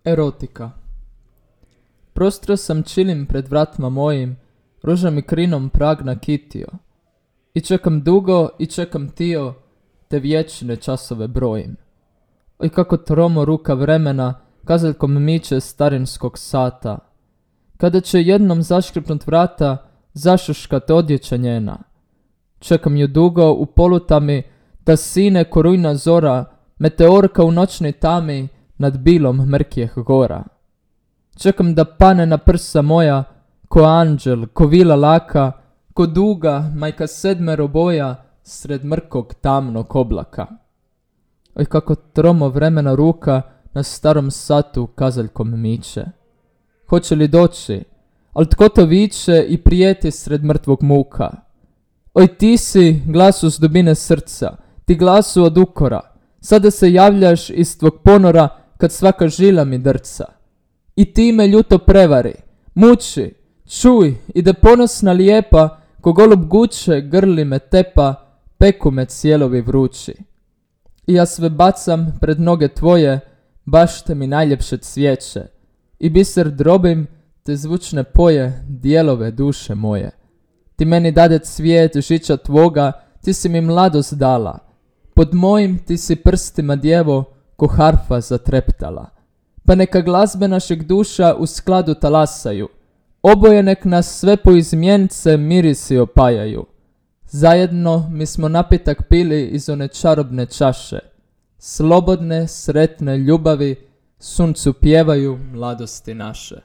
Erotika. Prostro sam čilim pred vratima mojim, ruža mi krinom prag nakitio. I čekam dugo i čekam tio, te vječne časove brojim. Oj kako tromo ruka vremena kazaljkom miče starinskog sata. Kada će jednom zaškripnut vrata, zašuškat odjeća njena. Čekam ju dugo u polutami, da sine ko rujna zora, meteorka u noćnoj tami nad bilom mrkijeh gora. Čekam da pane na prsa moja, ko anđel, ko vila laka, ko duga, majka sedmero boja, sred mrkog tamnog oblaka. Oj kako tromo vremena ruka na starom satu kazaljkom miče. Hoće li doći, al tko to viče i prijeti sred mrtvog muka. Oj ti si glasu s dubine srca, ti glasu od ukora, sada se javljaš iz tvog ponora kad svaka žila mi drca. I ti me ljuto prevari, muči, čuj i da ponosna lijepa, ko golub guče grli me tepa, peku me cijelovi vrući. I ja sve bacam pred noge tvoje, baš te mi najljepše cvijeće. I biser drobim, te zvučne poje, dijelove duše moje. Ti meni dade cvijet žiča tvoga, ti si mi mladost dala. Pod mojim ti si prstima djevo, ko harfa zatreptala. Pa neka glazbe našeg duša u skladu talasaju. Oboje nek nas sve po izmjence mirisi opajaju. Zajedno mi smo napitak pili iz one čarobne čaše. Slobodne, sretne ljubavi suncu pjevaju mladosti naše.